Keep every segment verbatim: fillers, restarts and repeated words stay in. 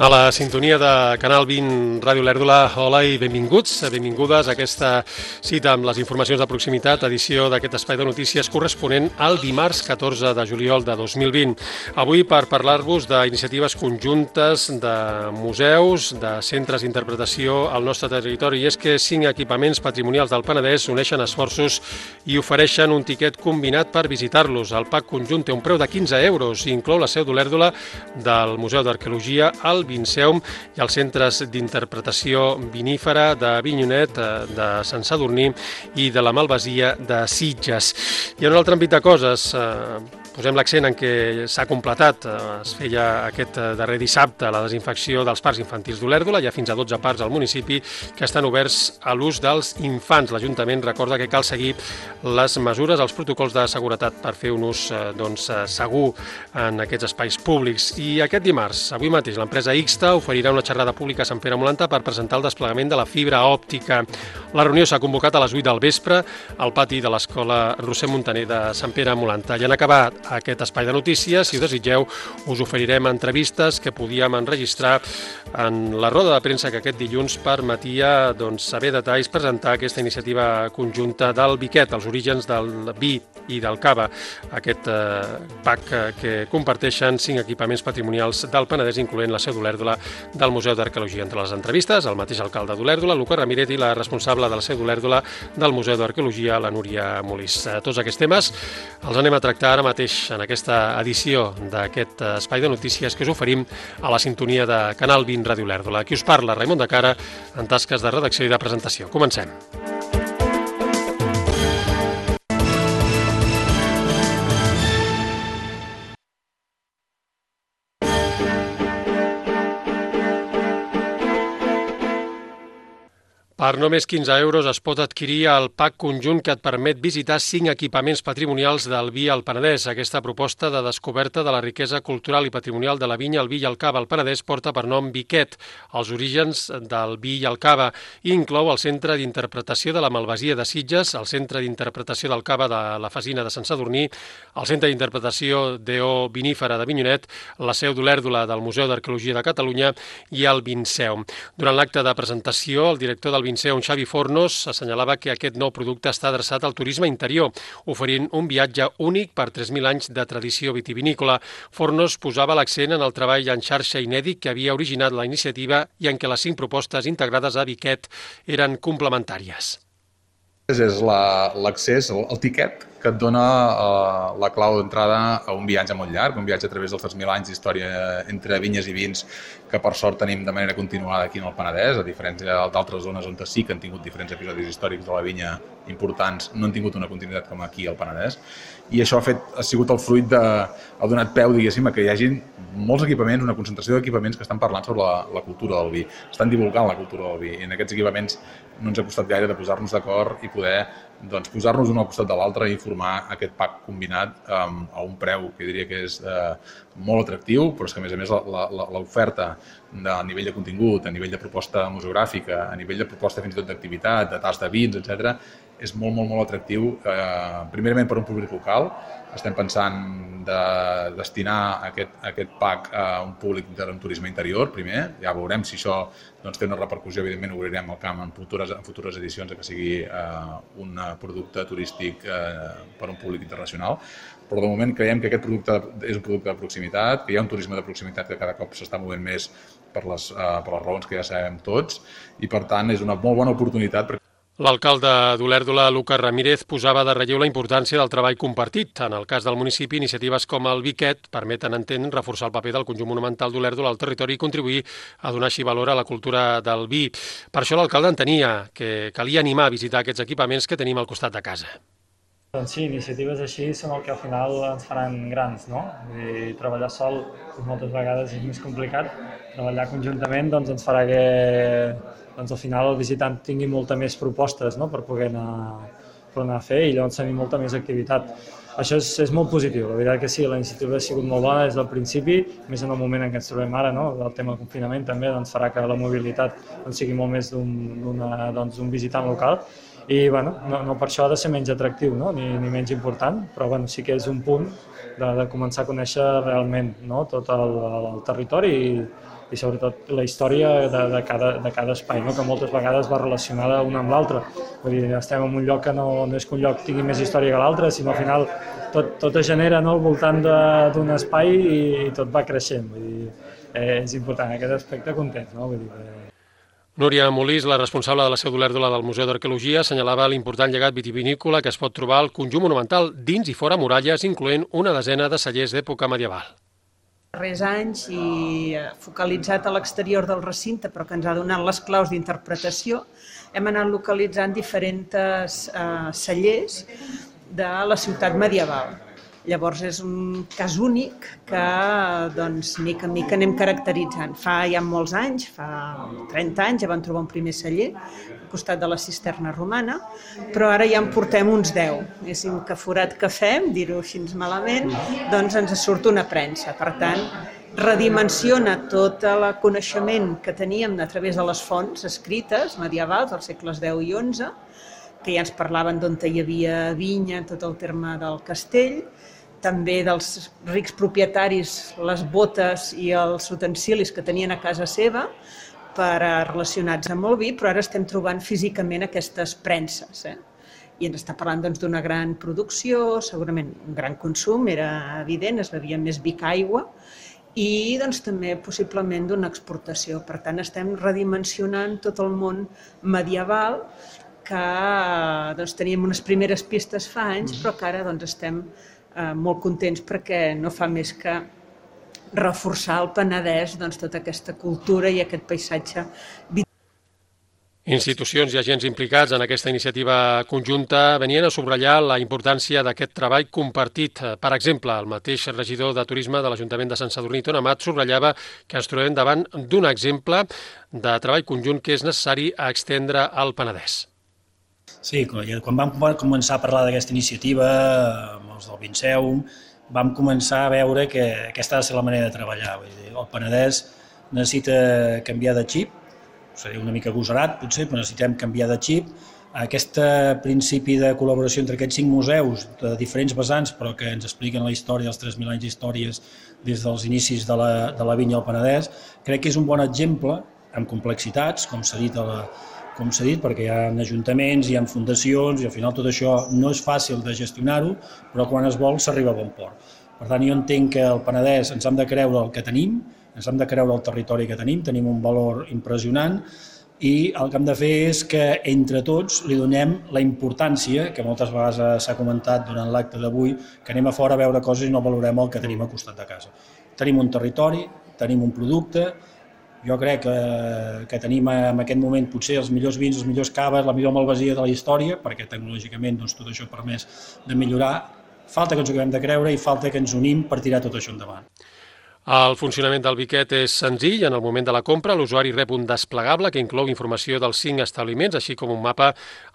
A la sintonia de Canal vint Ràdio Lèrdula, hola i benvinguts, benvingudes a aquesta cita amb les informacions de proximitat, edició d'aquest espai de notícies corresponent al dimarts catorze de juliol de dos mil vint. Avui per parlar-vos d'iniciatives conjuntes de museus, de centres d'interpretació al nostre territori. I és que cinc equipaments patrimonials del Penedès uneixen esforços i ofereixen un tiquet combinat per visitar-los. El pack conjunt té un preu de quinze euros i inclou la seu d'Olèrdola del Museu d'Arqueologia, el Vinceum i els centres d'interpretació vinífera de Avinyonet, de Sant Sadurní i de la Malvasia de Sitges. I en un altre àmbit de coses, posem l'accent en què s'ha completat, es feia aquest darrer dissabte la desinfecció dels parcs infantils d'Olèrdola, hi ha fins a dotze parcs al municipi que estan oberts a l'ús dels infants. L'Ajuntament recorda que cal seguir les mesures, els protocols de seguretat per fer un ús doncs, segur en aquests espais públics. I aquest dimarts, avui mateix, l'empresa Ixta oferirà una xerrada pública a Sant Pere Molantà per presentar el desplegament de la fibra òptica. La reunió s'ha convocat a les vuit del vespre al pati de l'Escola Roser Montaner de Sant Pere Molantà. I en acabar aquest espai de notícies, si ho desitgeu, us oferirem entrevistes que podíem enregistrar en la roda de premsa que aquest dilluns permetia doncs, saber detalls, presentar aquesta iniciativa conjunta del Biquet, els orígens del vi i del cava, aquest eh, pack que comparteixen cinc equipaments patrimonials del Penedès, incloent la seu d'Olèrdola del Museu d'Arqueologia. Entre les entrevistes, el mateix alcalde d'Olèrdola, Lucas Ramírez, i la responsable de la seu d'Olèrdola del Museu d'Arqueologia, la Núria Molís. Tots aquests temes els anem a tractar ara mateix en aquesta edició d'aquest espai de notícies que us oferim a la sintonia de Canal vint Ràdio Lèrdula. Aquí us parla Raimon de Cara en tasques de redacció i de presentació. Comencem. Per només quinze euros es pot adquirir el pack conjunt que et permet visitar cinc equipaments patrimonials del vi al Penedès. Aquesta proposta de descoberta de la riquesa cultural i patrimonial de la vinya, el vi i el cava al Penedès porta per nom Biquet, els orígens del vi i el cava, i inclou el Centre d'Interpretació de la Malvasia de Sitges, el Centre d'Interpretació del Cava de la Fasina de Sant Sadurní, el Centre d'Interpretació d'E O Vinífera d'Avinyonet, la seu d'Olèrdola del Museu d'Arqueologia de Catalunya i el Vinceum. Durant l'acte de presentació, el director del Vinceum, Xavi Fornos, assenyalava que aquest nou producte està adreçat al turisme interior, oferint un viatge únic per tres mil anys de tradició vitivinícola. Fornos posava l'accent en el treball en xarxa inèdit que havia originat la iniciativa i en què les cinc propostes integrades a Biquet eren complementàries. És l'accés, el, el tiquet que et dona eh, la clau d'entrada a un viatge molt llarg, un viatge a través dels tres mil anys d'història entre vinyes i vins que per sort tenim de manera continuada aquí en el Penedès, a diferència d'altres zones on sí que han tingut diferents episodis històrics de la vinya importants, no han tingut una continuïtat com aquí al Penedès. I això ha, fet, ha sigut el fruit de... ha donat peu, diguéssim, a que hi hagi molts equipaments, una concentració d'equipaments que estan parlant sobre la, la cultura del vi, estan divulgant la cultura del vi. I en aquests equipaments no ens ha costat gaire de posar-nos d'acord i poder doncs, posar-nos un al costat de l'altre i formar aquest pack combinat um, a un preu que diria que és uh, molt atractiu, però és que a més a més l'oferta a nivell de contingut, a nivell de proposta museogràfica, a nivell de proposta fins i tot d'activitat, de tast de vins, etcètera, és molt, molt, molt atractiu, eh, primerament per un públic local. Estem pensant de destinar aquest, aquest pack a un públic de turisme interior, primer. Ja veurem si això doncs, té una repercussió, evidentment obrirem el camp en futures, en futures edicions que sigui eh, un producte turístic eh, per a un públic internacional. Però de moment creiem que aquest producte és un producte de proximitat, que hi ha un turisme de proximitat que cada cop s'està movent més per les, eh, per les raons que ja sabem tots, i per tant és una molt bona oportunitat. L'alcalde d'Olèrdola, Lucas Ramírez, posava de relleu la importància del treball compartit. En el cas del municipi, iniciatives com el Biquet permeten, entén, reforçar el paper del conjunt monumental d'Olèrdola al territori i contribuir a donar així valor a la cultura del vi. Per això l'alcalde entenia que calia animar a visitar aquests equipaments que tenim al costat de casa. Doncs sí, iniciatives així són el que al final ens faran grans, no? I treballar sol moltes vegades és més complicat. Treballar conjuntament doncs, ens farà que doncs, al final el visitant tingui molta més propostes, no? Per poder anar, per anar a fer i llavors tenir molta més activitat. Això és, és molt positiu, la veritat que sí, la iniciativa ha sigut molt bona des del principi, més en el moment en què ens trobem ara, no? El tema del confinament també doncs, farà que la mobilitat doncs, sigui molt més d'un doncs, visitant local. I bueno, no, no per això ha de ser menys atractiu, no? ni, ni menys important, però bueno, sí que és un punt de, de començar a conèixer realment, no? Tot el, el territori i, i sobretot la història de, de, cada, de cada espai, no? Que moltes vegades va relacionada una amb l'altra. Vull dir, estem en un lloc que no, no és que un lloc tingui més història que l'altre, sinó al final tot, tot es genera, no?, al voltant d'un espai i, i tot va creixent. Vull dir, eh, és important, en aquest aspecte contents, no? Vull dir, eh, Núria Molís, la responsable de la seu d'Olèrdola del Museu d'Arqueologia, assenyalava l'important llegat vitivinícola que es pot trobar al conjunt monumental dins i fora muralles, incloent una desena de cellers d'època medieval. Darrers anys i focalitzat a l'exterior del recinte, però que ens ha donat les claus d'interpretació, hem anat localitzant diferents eh, cellers de la ciutat medieval. Llavors és un cas únic que, doncs, mica en mica anem caracteritzant. Fa ja molts anys, fa trenta anys, ja vam trobar un primer celler al costat de la cisterna romana, però ara ja en portem uns deu. És que forat que fem, dir-ho així malament, doncs ens surt una premsa. Per tant, redimensiona tot el coneixement que teníem a través de les fonts escrites medievals dels segles deu i onze, que ja ens parlaven d'on hi havia vinya, tot el terme del castell, també dels rics propietaris, les botes i els utensilis que tenien a casa seva per relacionats amb el vi, però ara estem trobant físicament aquestes premses. Eh? I ens està parlant doncs, d'una gran producció, segurament un gran consum, era evident, es bevia més vi que aigua, i doncs, també possiblement d'una exportació. Per tant, estem redimensionant tot el món medieval que doncs, teníem unes primeres pistes fa anys, però que ara doncs, estem eh, molt contents perquè no fa més que reforçar al Penedès doncs, tota aquesta cultura i aquest paisatge. Institucions i agents implicats en aquesta iniciativa conjunta venien a subratllar la importància d'aquest treball compartit. Per exemple, el mateix regidor de Turisme de l'Ajuntament de Sant Sadurní, Ton Amat, subratllava que ens trobem davant d'un exemple de treball conjunt que és necessari a extendre al Penedès. Sí, quan vam començar a parlar d'aquesta iniciativa, amb els del Vinceum, vam començar a veure que aquesta ha de ser la manera de treballar. Vull dir, el Penedès necessita canviar de xip, seria una mica agosarat potser, però necessitem canviar de xip. Aquest principi de col·laboració entre aquests cinc museus de diferents vessants, però que ens expliquen la història dels tres mil anys d'històries des dels inicis de la, de la vinya al Penedès, crec que és un bon exemple, amb complexitats, com s'ha dit a la com s'ha dit, perquè hi ha ajuntaments, hi ha fundacions, i al final tot això no és fàcil de gestionar-ho, però quan es vol s'arriba a bon port. Per tant, jo entenc que al Penedès ens hem de creure el que tenim, ens hem de creure el territori que tenim, tenim un valor impressionant, i el que hem de fer és que entre tots li donem la importància, que moltes vegades s'ha comentat durant l'acte d'avui, que anem a fora a veure coses i no valorem el que tenim al costat de casa. Tenim un territori, tenim un producte. Jo crec que, que tenim en aquest moment potser els millors vins, els millors caves, la millor malvasia de la història, perquè tecnològicament doncs, tot això ha permès de millorar. Falta que ens ho acabem de creure i falta que ens unim per tirar tot això endavant. El funcionament del biquet és senzill. En el moment de la compra, l'usuari rep un desplegable que inclou informació dels cinc establiments, així com un mapa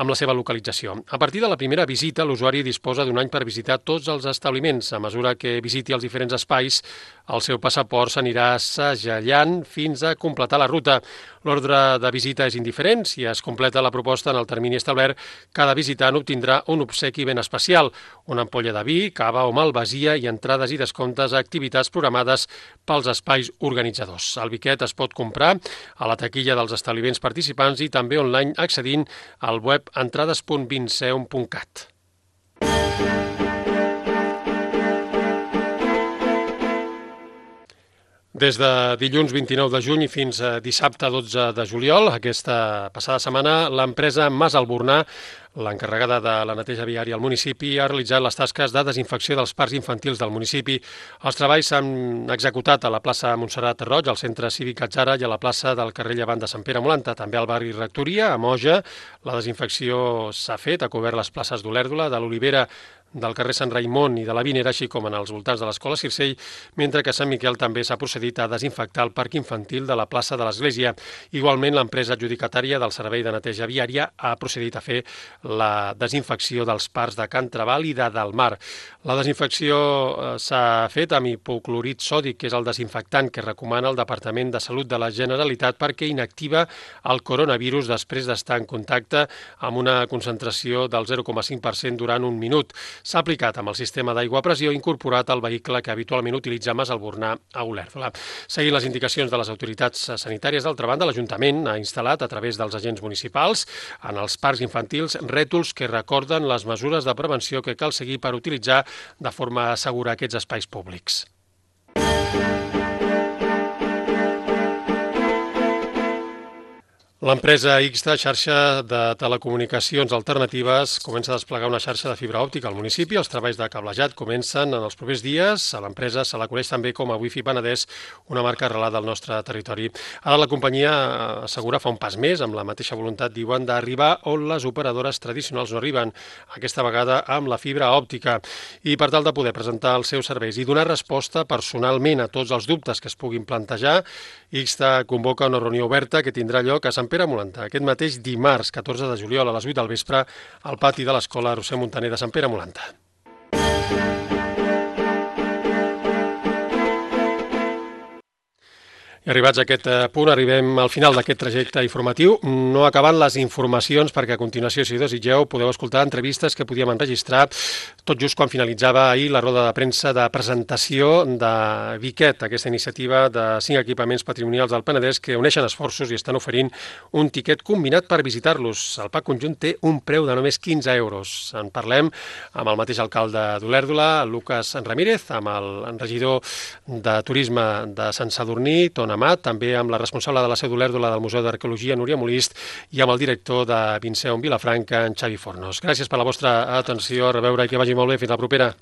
amb la seva localització. A partir de la primera visita, l'usuari disposa d'un any per visitar tots els establiments. A mesura que visiti els diferents espais, el seu passaport s'anirà segellant fins a completar la ruta. L'ordre de visita és indiferent. Si es completa la proposta en el termini establert, cada visitant obtindrà un obsequi ben especial, una ampolla de vi, cava o malvasia i entrades i descomptes a activitats programades pels espais organitzadors. El biquet es pot comprar a la taquilla dels establiments participants i també online accedint al web entrades punt vinceum punt cat. Des de dilluns vint-i-nou de juny fins a dissabte dotze de juliol, aquesta passada setmana, l'empresa Mas Albornà, l'encarregada de la neteja viària al municipi, ha realitzat les tasques de desinfecció dels parcs infantils del municipi. Els treballs s'han executat a la plaça Montserrat Roig, al centre cívic Atzara i a la plaça del carrer Llevant de Sant Pere Molanta. També al barri Rectoria, a Moja, la desinfecció s'ha fet, ha cobert les places d'Olèrdola, de l'Olivera, del carrer Sant Raimon i de la Vinera, així com en els voltants de l'escola Circell, mentre que a Sant Miquel també s'ha procedit a desinfectar el parc infantil de la plaça de l'Església. Igualment, l'empresa adjudicatària del servei de neteja viària ha procedit a fer la desinfecció dels parcs de Can Trabal i de Delmar. La desinfecció s'ha fet amb hipoclorit sòdic, que és el desinfectant que recomana el Departament de Salut de la Generalitat perquè inactiva el coronavirus després d'estar en contacte amb una concentració del zero coma cinc per cent durant un minut. S'ha aplicat amb el sistema d'aigua a pressió incorporat al vehicle que habitualment utilitza Mas Albornà a Olèrdola. Seguint les indicacions de les autoritats sanitàries, d'altra banda, l'Ajuntament ha instal·lat a través dels agents municipals en els parcs infantils rètols que recorden les mesures de prevenció que cal seguir per utilitzar de forma segura aquests espais públics. L'empresa Ixta, xarxa de telecomunicacions alternatives, comença a desplegar una xarxa de fibra òptica al municipi. Els treballs de cablejat comencen en els propers dies. A l'empresa se la coneix també com a Wi-Fi Penedès, una marca arrelada al nostre territori. Ara la companyia assegura fa un pas més, amb la mateixa voluntat, diuen, d'arribar on les operadores tradicionals no arriben, aquesta vegada amb la fibra òptica. I per tal de poder presentar els seus serveis i donar resposta personalment a tots els dubtes que es puguin plantejar, Ixta convoca una reunió oberta que tindrà lloc a Sant Pere Molantà aquest mateix dimarts, catorze de juliol, a les vuit del vespre, al pati de l'Escola Roser Montaner de Sant Pere Molantà. I arribats a aquest punt, arribem al final d'aquest trajecte informatiu. No acabant les informacions, perquè a continuació, si desitgeu, podeu escoltar entrevistes que podíem enregistrar tot just quan finalitzava ahir la roda de premsa de presentació de Viquet, aquesta iniciativa de cinc equipaments patrimonials del Penedès que uneixen esforços i estan oferint un tiquet combinat per visitar-los. El pack conjunt té un preu de només quinze euros. En parlem amb el mateix alcalde d'Olèrdola, Lucas Ramírez, amb el regidor de Turisme de Sant Sadurní, Tona Amat, també amb la responsable de la seu d'Olèrdola del Museu d'Arqueologia, Núria Molist, i amb el director de Vinceum Vilafranca, en Xavi Fornos. Gràcies per la vostra atenció, a reveure i que vagi molt bé. Fins la propera.